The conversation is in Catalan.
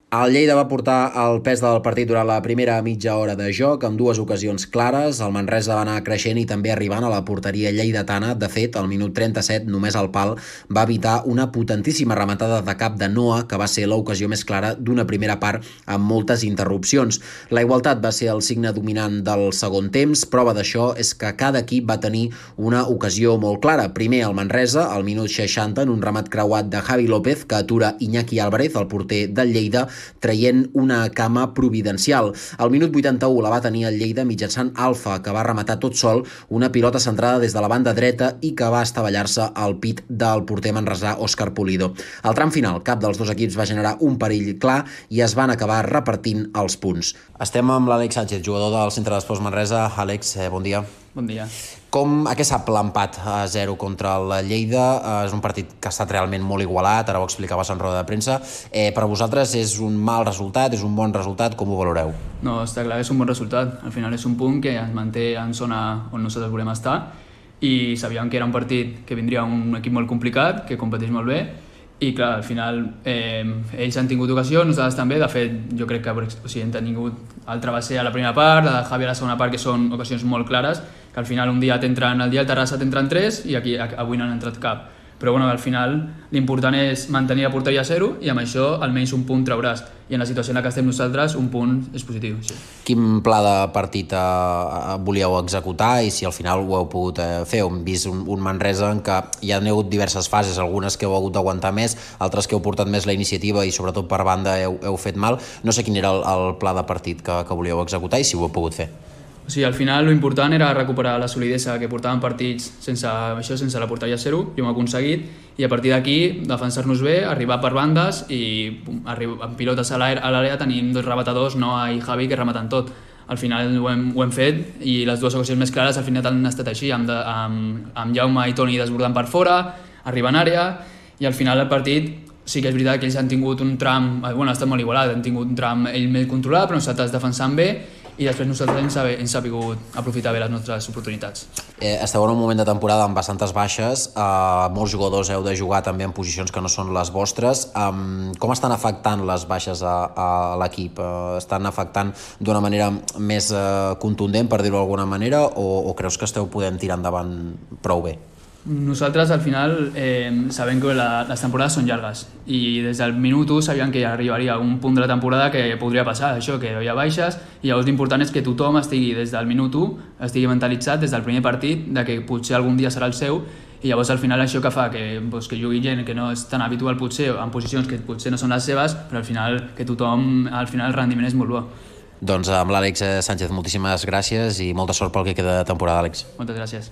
El Lleida va portar el pes del partit durant la primera mitja hora de joc, amb dues ocasions clares. El Manresa va anar creixent i també arribant a la porteria lleidatana. De fet, al minut 37, només el pal va evitar una potentíssima rematada de cap de Noah, que va ser l'ocasió més clara d'una primera part amb moltes interrupcions. La igualtat va ser el signe dominant del segon temps. Prova d'això és que cada equip va tenir una ocasió molt clara. Primer el Manresa, al minut 60, en un remat creuat de Javi López, que atura Iñaki Álvarez, el porter del Lleida, traient una cama providencial. Al minut 81 la va tenir el Lleida mitjançant Alfa, que va rematar tot sol una pilota centrada des de la banda dreta i que va estavellar-se al pit del porter manresà Òscar Pulido. Al tram final, cap dels dos equips va generar un perill clar i es van acabar repartint els punts. Estem amb l'Àlex Sánchez, jugador del Centre d'Esports Manresa. Àlex, bon dia. Bon dia. A què sap l'empat a 0 contra el Lleida? És un partit que ha estat realment molt igualat, ara ho explicaves en roda de premsa. Per a vosaltres és un mal resultat, és un bon resultat? Com ho valoreu? No, està clar que és un bon resultat. Al final és un punt que ens manté en zona on nosaltres volem estar i sabíem que era un partit que vindria un equip molt complicat, que competeix molt bé i clar, al final ells han tingut ocasió, nosaltres també. De fet, jo crec que hem tingut altra va ser a la primera part, la de Javi a la segona part, que són ocasions molt clares, que al final un dia t'entren, el dia del Terrassa t'entren 3 i aquí avui no han entrat cap. Però bueno, al final l'important és mantenir la porteria a 0 i amb això almenys un punt trauràs. I en la situació en la que estem nosaltres, un punt és positiu. Sí. Quin pla de partit volíeu executar i si al final ho heu pogut fer? Hem vist un Manresa en què hi ha hagut diverses fases, algunes que heu hagut d'aguantar més, altres que heu portat més la iniciativa i sobretot per banda heu fet mal. No sé quin era el pla de partit que volíeu executar i si ho heu pogut fer. O sigui, al final l'important era recuperar la solidesa que portaven partits sense la porteria a 0, i ho hem aconseguit, i a partir d'aquí defensar-nos bé, arribar per bandes i amb pilotes a l'àrea tenim dos rebatadors, Noah i Javi, que rematen tot. Al final ho hem fet i les dues ocasions més clares al final han estat així, amb Jaume i Toni desbordant per fora, arribant a àrea, i al final el partit sí que és veritat que ells han tingut un tram, bueno, ha estat molt igualat, han tingut un tram ells més controlat, però nosaltres defensant bé, i després nosaltres hem sabut aprofitar bé les nostres oportunitats. Esteu en un moment de temporada amb bastantes baixes, molts jugadors heu de jugar també en posicions que no són les vostres. Com estan afectant les baixes a l'equip? Estan afectant d'una manera més contundent, per dir-ho d'alguna manera, o creus que esteu podent tirar endavant prou bé? Nosaltres al final sabem que les temporades són llargues i des del minut 1 sabíem que arribaria un punt de la temporada que podria passar això, que hi ha baixes, i llavors l'important és que tothom estigui des del minut 1, estigui mentalitzat des del primer partit de que potser algun dia serà el seu, i llavors al final això que fa que jugui gent que no és tan habitual potser en posicions que potser no són les seves, però al final que tothom, al final el rendiment és molt bo. Doncs amb l'Àlex Sánchez moltíssimes gràcies i molta sort pel que queda de temporada, Àlex. Moltes gràcies.